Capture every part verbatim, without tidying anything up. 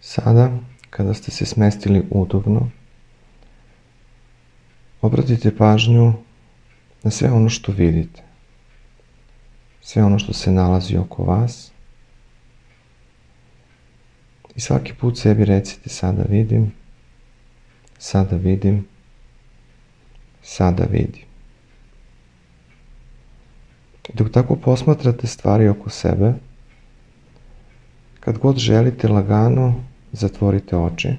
Sada, kada ste se smestili udobno, obratite pažnju na sve ono što vidite, sve ono što se nalazi oko vas i svaki put sebi recite sada vidim, sada vidim, sada vidim. Dok tako posmatrate stvari oko sebe, kad god želite lagano, zatvorite oči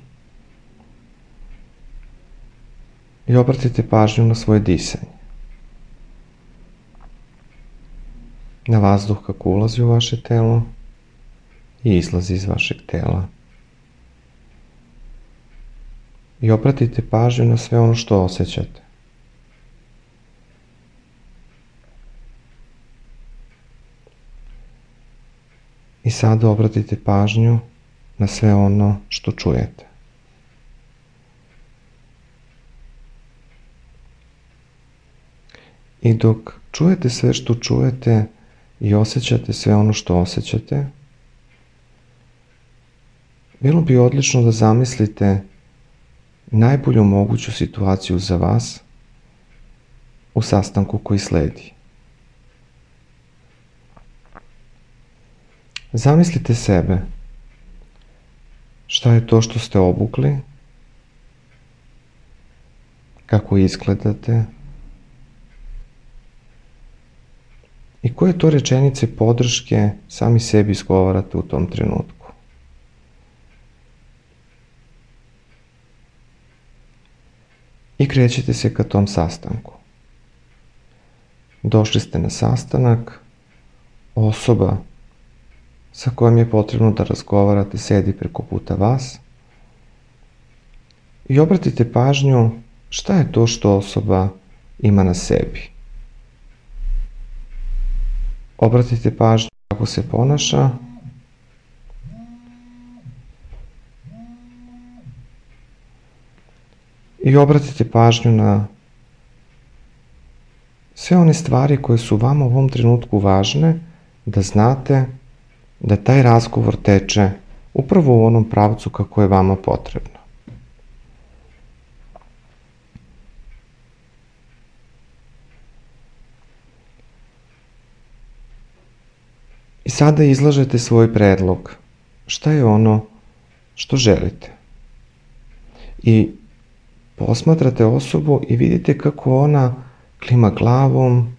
i obratite pažnju na svoje disanje. Na vazduh kako ulazi u vaše telo i izlazi iz vašeg tela. I obratite pažnju na sve ono što osjećate. I sada obratite pažnju na sve ono što čujete. I dok čujete sve što čujete i osjećate sve ono što osjećate, bilo bi odlično da zamislite najbolju moguću situaciju za vas u sastanku koji sledi. Zamislite sebe. Šta je to što ste obukli? Kako izgledate? I koje to rečenice podrške sami sebi izgovarate u tom trenutku? I krećete se ka tom sastanku. Došli ste na sastanak, osoba sa kojom je potrebno da razgovarate sedi preko puta vas i obratite pažnju šta je to što osoba ima na sebi. Obratite pažnju kako se ponaša i obratite pažnju na sve one stvari koje su vama u ovom trenutku važne da znate da taj razgovor teče upravo u onom pravcu kako je vama potrebno. I sada izlažete svoj predlog. Šta je ono što želite? I posmatrate osobu i vidite kako ona klima glavom,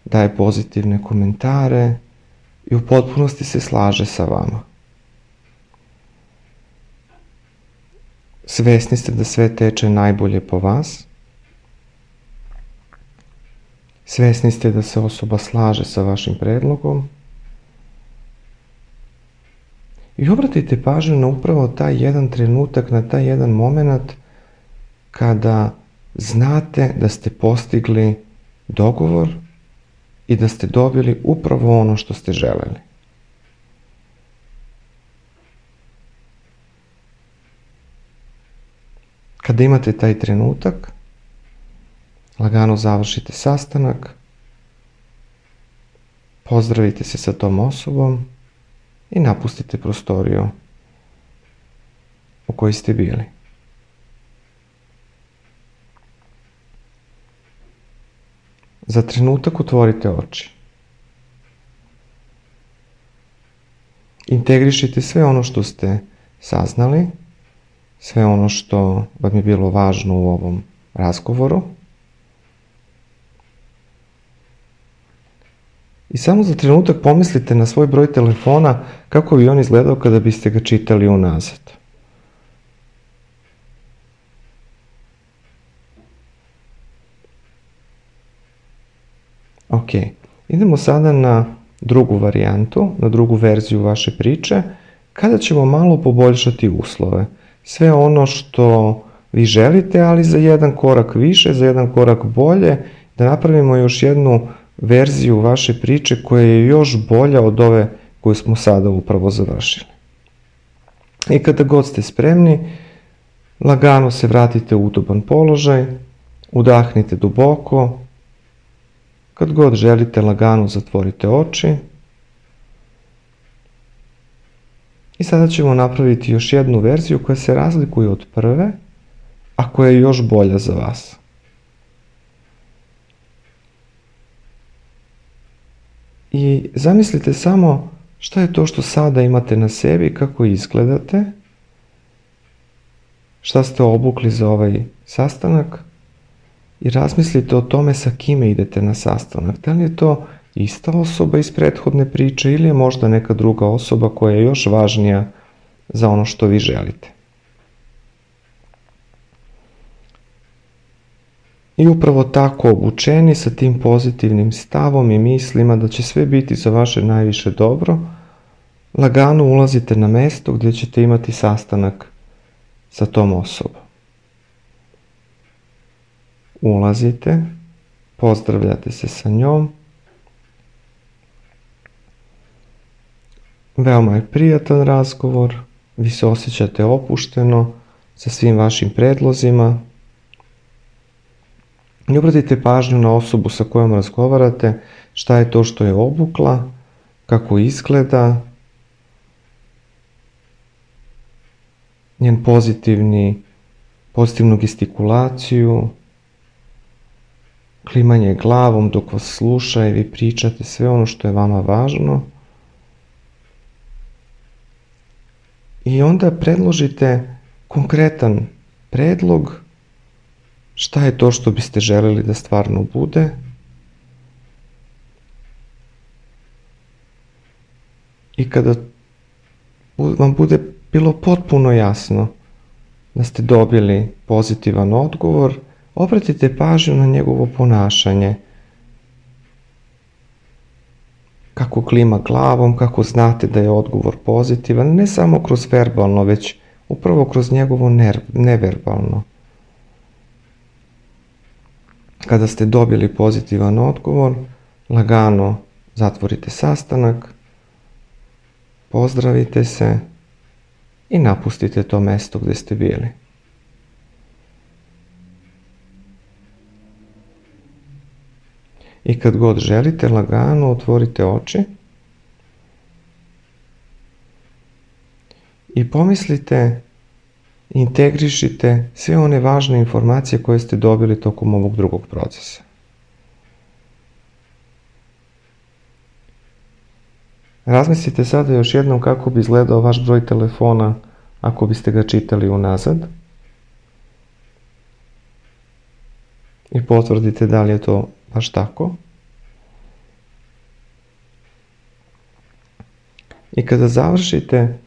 daje pozitivne komentare i u potpunosti se slaže sa vama. Svesni ste da sve teče najbolje po vas. Svesni ste da se osoba slaže sa vašim predlogom. I obratite pažnju na upravo taj jedan trenutak, na taj jedan moment kada znate da ste postigli dogovor i da ste dobili upravo ono što ste želeli. Kada imate taj trenutak, lagano završite sastanak, pozdravite se sa tom osobom i napustite prostoriju u kojoj ste bili. Za trenutak otvorite oči. Integrišite sve ono što ste saznali, sve ono što vam je bilo važno u ovom razgovoru. I samo za trenutak pomislite na svoj broj telefona kako bi on izgledao kada biste ga čitali unazad. Ok, idemo sada na drugu varijantu, na drugu verziju vaše priče, kada ćemo malo poboljšati uslove. Sve ono što vi želite, ali za jedan korak više, za jedan korak bolje, da napravimo još jednu verziju vaše priče koja je još bolja od ove koju smo sada upravo završili. I kada god ste spremni, lagano se vratite u udoban položaj, udahnite duboko. Kad god želite, lagano zatvorite oči I sada ćemo napraviti još jednu verziju koja se razlikuje od prve, a koja je još bolja za vas. I zamislite samo šta je to što sada imate na sebi, kako izgledate, šta ste obukli za ovaj sastanak i razmislite o tome sa kime idete na sastanak. Da li je to ista osoba iz prethodne priče ili je možda neka druga osoba koja je još važnija za ono što vi želite. I upravo tako obučeni sa tim pozitivnim stavom i mislima da će sve biti za vaše najviše dobro, lagano ulazite na mesto gdje ćete imati sastanak sa tom osobom. Ulazite, pozdravljate se sa njom. Veoma je prijatan razgovor, vi se osjećate opušteno sa svim vašim predlozima. I obratite pažnju na osobu sa kojom razgovarate, šta je to što je obukla, kako izgleda, njen pozitivni, pozitivnu gestikulaciju, klimanje glavom dok vas sluša i vi pričate sve ono što je vama važno. I onda predložite konkretan predlog, šta je to što biste želeli da stvarno bude. I kada vam bude bilo potpuno jasno da ste dobili pozitivan odgovor, obratite pažnju na njegovo ponašanje. Kako klima glavom, kako znate da je odgovor pozitivan, ne samo kroz verbalno, već upravo kroz njegovo neverbalno. Kada ste dobili pozitivan odgovor, lagano zatvorite sastanak, pozdravite se i napustite to mesto gdje ste bili. I kad god želite, lagano otvorite oči i pomislite, integrišite sve one važne informacije koje ste dobili tokom ovog drugog procesa. Razmislite sada još jednom kako bi izgledao vaš broj telefona ako biste ga čitali unazad i potvrdite da li je to baš tako. I kada završite,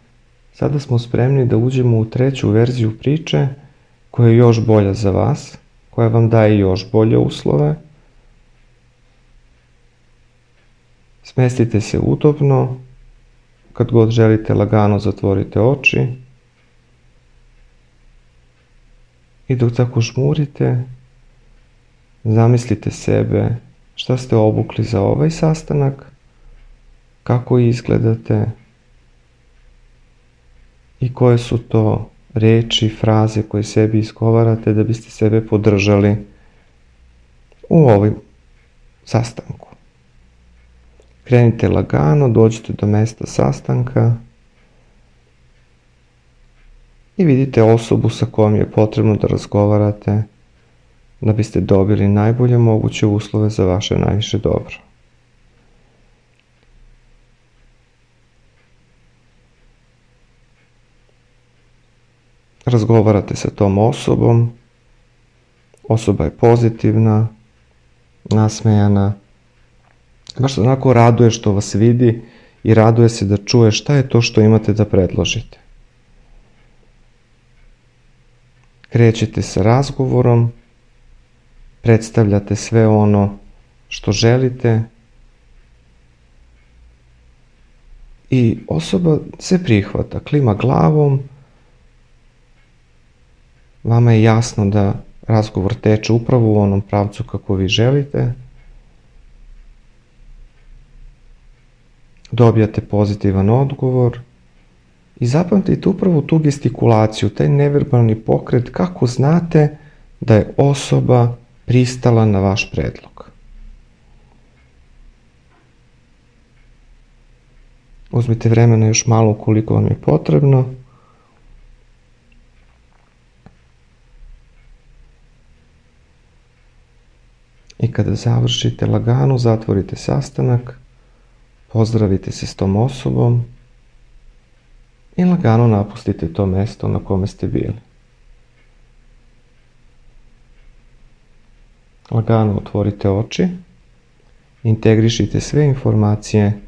sada smo spremni da uđemo u treću verziju priče koja je još bolja za vas, koja vam daje još bolje uslove. Smestite se udobno, kad god želite lagano zatvorite oči i dok tako žmurite, zamislite sebe šta ste obukli za ovaj sastanak, kako izgledate i koje su to reči, fraze koje sebi izgovarate da biste sebe podržali u ovom sastanku. Krenite lagano, dođite do mesta sastanka i vidite osobu sa kojom je potrebno da razgovarate da biste dobili najbolje moguće uslove za vaše najviše dobro. Razgovarate sa tom osobom, osoba je pozitivna, nasmejana, baš se onako raduje što vas vidi i raduje se da čuje šta je to što imate da predložite. Krećete sa razgovorom, predstavljate sve ono što želite i osoba se prihvata, klima glavom, vama je jasno da razgovor teče upravo u onom pravcu kako vi želite. Dobijate pozitivan odgovor i zapamtite upravo tu gestikulaciju, taj neverbalni pokret, kako znate da je osoba pristala na vaš predlog. Uzmite vremena još malo ukoliko vam je potrebno. I kada završite, lagano zatvorite sastanak, pozdravite se s tom osobom i lagano napustite to mesto na kome ste bili. Lagano otvorite oči, integrišite sve informacije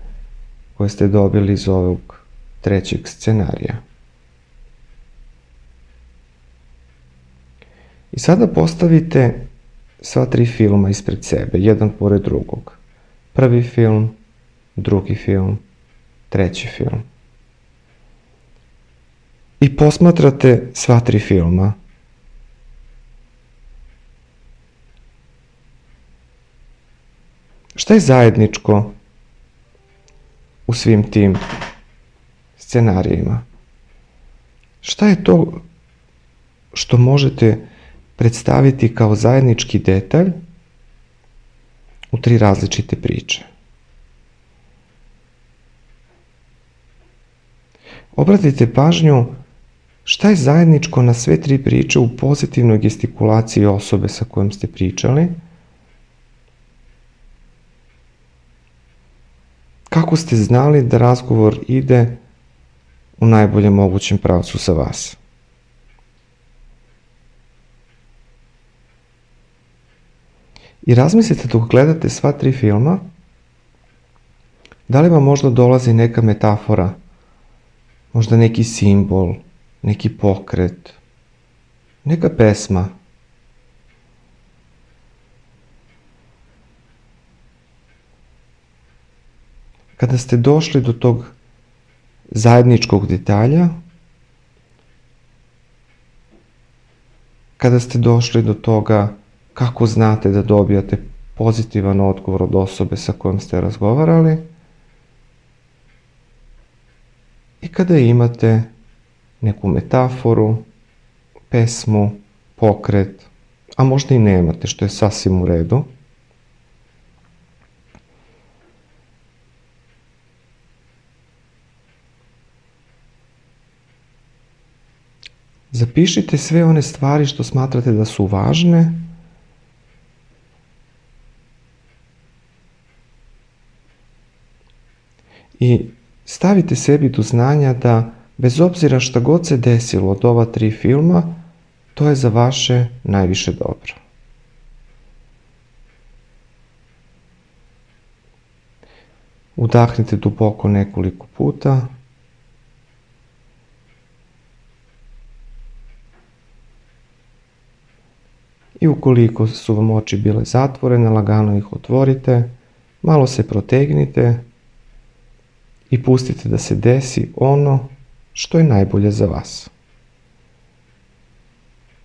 koje ste dobili iz ovog trećeg scenarija. I sada postavite sva tri filma ispred sebe, jedan pored drugog. Prvi film, drugi film, treći film. I posmatrate sva tri filma. Šta je zajedničko u svim tim scenarijima? Šta je to što možete predstaviti kao zajednički detalj u tri različite priče? Obratite pažnju šta je zajedničko na sve tri priče u pozitivnoj gestikulaciji osobe sa kojom ste pričali. Kako ste znali da razgovor ide u najboljem mogućem pravcu sa vas? I razmislite dok gledate sva tri filma, da li vam možda dolazi neka metafora, možda neki simbol, neki pokret, neka pesma. Kada ste došli do tog zajedničkog detalja, kada ste došli do toga kako znate da dobijate pozitivan odgovor od osobe sa kojom ste razgovarali i kada imate neku metaforu, pesmu, pokret, a možda i nemate, što je sasvim u redu. Zapišite sve one stvari što smatrate da su važne i stavite sebi do znanja da bez obzira šta god se desilo od ova tri filma, to je za vaše najviše dobro. Udahnite duboko nekoliko puta. I ukoliko su vam oči bile zatvorene, lagano ih otvorite, malo se protegnite i pustite da se desi ono što je najbolje za vas.